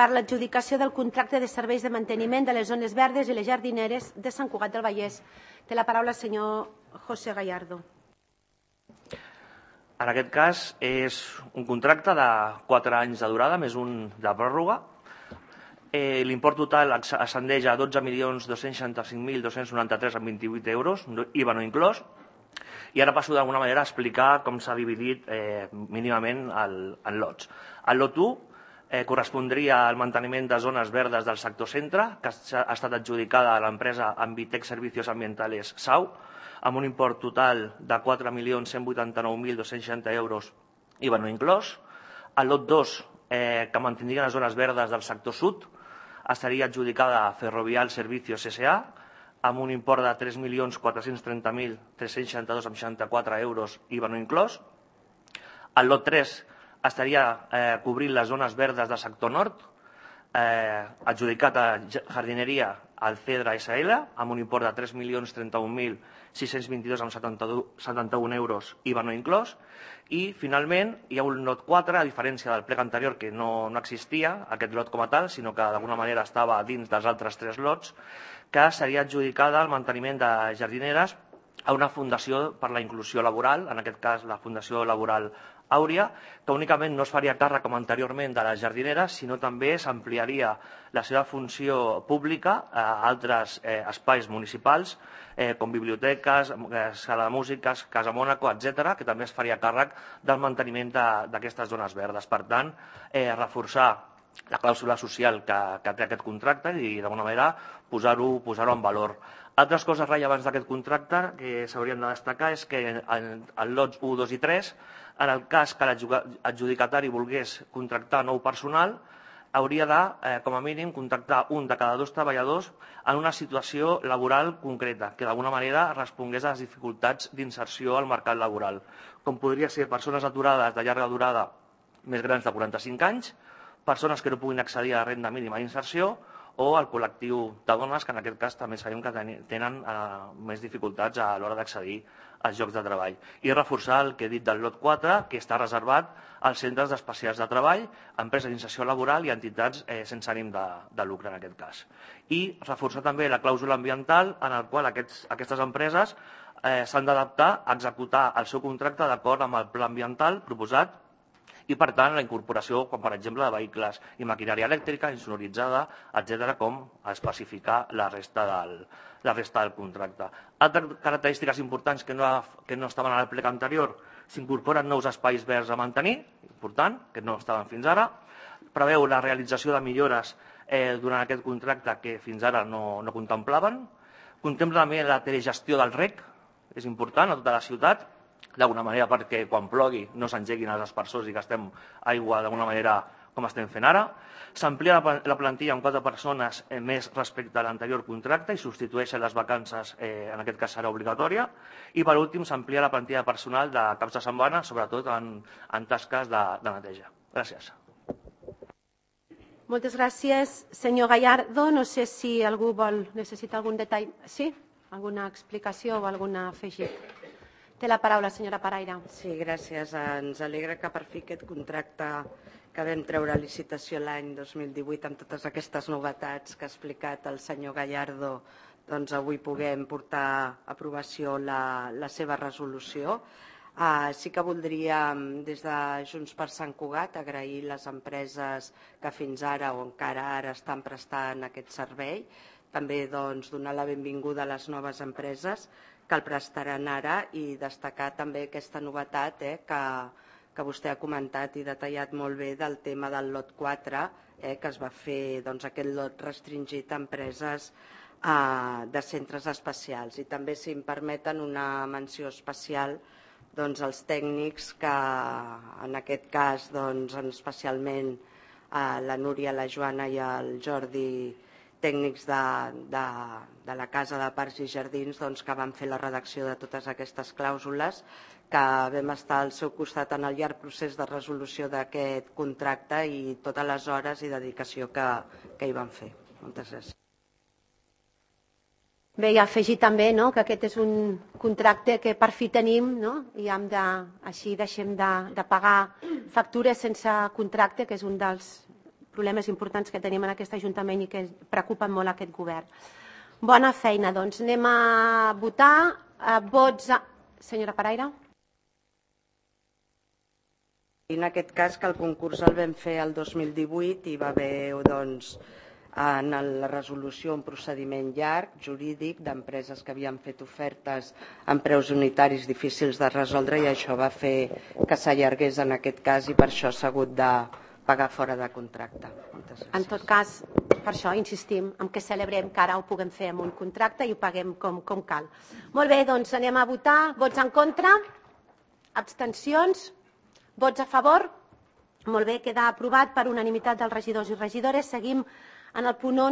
per l'adjudicació del contracte de serveis de manteniment de les zones verdes i les jardineres de Sant Cugat del Vallès. Té la paraula el senyor José Gallardo. En aquest cas és un contracte de 4 anys de durada, més un de pròrroga. L'import total ascendeix a 12.265.293,28 euros, IVA no inclòs. I ara passo d'alguna manera a explicar com s'ha dividit mínimament en lots. El lot 1 correspondria al manteniment de zones verdes del sector centre, que ha estat adjudicada a l'empresa Ambitec Servicios Ambientales SAU, amb un import total de 4.189.260 euros, IVA no inclòs. El lot 2, que mantindria les zones verdes del sector sud, estaria adjudicada a Ferrovial Servicios S.A., amb un import de 3.430.362,64 euros, IVA no inclòs. El lot 3 estaria cobrint les zones verdes del sector nord, adjudicat a jardineria al Cedra SL, amb un import de 3.032.622,71 euros, IVA no inclòs. I, finalment, hi ha un lot 4, a diferència del plec anterior, que no existia, aquest lot com a tal, sinó que d'alguna manera estava dins dels altres 3 lots, que seria adjudicada al manteniment de jardineres a una fundació per la inclusió laboral, en aquest cas la Fundació Laboral Àurea, que únicament no es faria càrrec com anteriorment de les jardineres, sinó també s'ampliaria la seva funció pública a altres espais municipals, com biblioteques, sala de músiques, Casa Mònaco, etc., que també es faria càrrec del manteniment d'aquestes zones verdes. Per tant, reforçar la clàusula social que té aquest contracte i, d'alguna manera, posar-ho en valor. Altres coses rellevants d'aquest contracte que s'haurien de destacar és que en lots 1, 2 i 3, en el cas que l'adjudicatari volgués contractar nou personal, hauria de, com a mínim, contractar un de cada 2 treballadors en una situació laboral concreta, que d'alguna manera respongués a les dificultats d'inserció al mercat laboral, com podria ser persones aturades de llarga durada més grans de 45 anys, persones que no puguin accedir a la renda mínima d'inserció o el col·lectiu de dones, que en aquest cas també sabem que tenen més dificultats a l'hora d'accedir als llocs de treball. I reforçar el que he dit del lot 4, que està reservat als centres especials de treball, empreses d'inserció laboral i entitats sense ànim de lucre en aquest cas. I reforçar també la clàusula ambiental en la qual aquestes empreses s'han d'adaptar a executar el seu contracte d'acord amb el pla ambiental proposat i, per tant, la incorporació, com per exemple, de vehicles i maquinària elèctrica, insonoritzada, etc., com especificar la resta del contracte. Altres característiques importants que no estaven en el plec anterior: s'incorporen nous espais verds a mantenir, important, que no estaven fins ara. Preveu la realització de millores durant aquest contracte que fins ara no contemplaven. Contempla també la telegestió del rec, és important, a tota la ciutat, d'alguna manera perquè quan plogui no s'engeguin els aspersors i gastem aigua d'alguna manera com estem fent ara. S'amplia la plantilla amb 4 persones més respecte a l'anterior contracte i substitueixen les vacances, en aquest cas serà obligatòria. I per últim s'amplia la plantilla de personal de caps de setmana, sobretot en tasques de neteja. Gràcies. Moltes gràcies, senyor Gallardo. No sé si algú necessita algun detall. Sí? Alguna explicació o algun afegit? Té la paraula, senyora Paraire. Sí, gràcies. Ens alegra que per fi aquest contracte que vam treure a licitació l'any 2018 amb totes aquestes novetats que ha explicat el senyor Gallardo, doncs avui puguem portar a aprovació la seva resolució. Sí que voldríem, des de Junts per Sant Cugat, agrair les empreses que fins ara o encara ara estan prestant aquest servei. També donar la benvinguda a les noves empreses que el prestaran ara i destacar també aquesta novetat que vostè ha comentat i detallat molt bé del tema del lot 4, que es va fer aquest lot restringit a empreses de centres especials. I també, si em permeten, una menció especial als tècnics que, en aquest cas, especialment la Núria, la Joana i el Jordi, tècnics de la Casa de Parcs i Jardins, que van fer la redacció de totes aquestes clàusules, que vam estar al seu costat en el llarg procés de resolució d'aquest contracte i totes les hores i dedicació que hi van fer. Moltes gràcies. Bé, i afegir també que aquest és un contracte que per fi tenim i així deixem de pagar factures sense contracte, que és un dels problemes importants que tenim en aquest Ajuntament i que preocupen molt aquest govern. Bona feina, doncs anem a votar. Vots a... Senyora Paraire. En aquest cas, que el concurs el vam fer el 2018 i va haver, doncs, en la resolució un procediment llarg, jurídic, d'empreses que havien fet ofertes amb preus unitaris difícils de resoldre i això va fer que s'allargués en aquest cas i per això s'ha hagut de pagar fora de contracte. En tot cas, per això insistim en que celebrem que ara ho puguem fer amb un contracte i ho paguem com cal. Molt bé, doncs anem a votar. Vots en contra? Abstencions? Vots a favor? Molt bé, queda aprovat per unanimitat dels regidors i regidores. Seguim en el punt 11.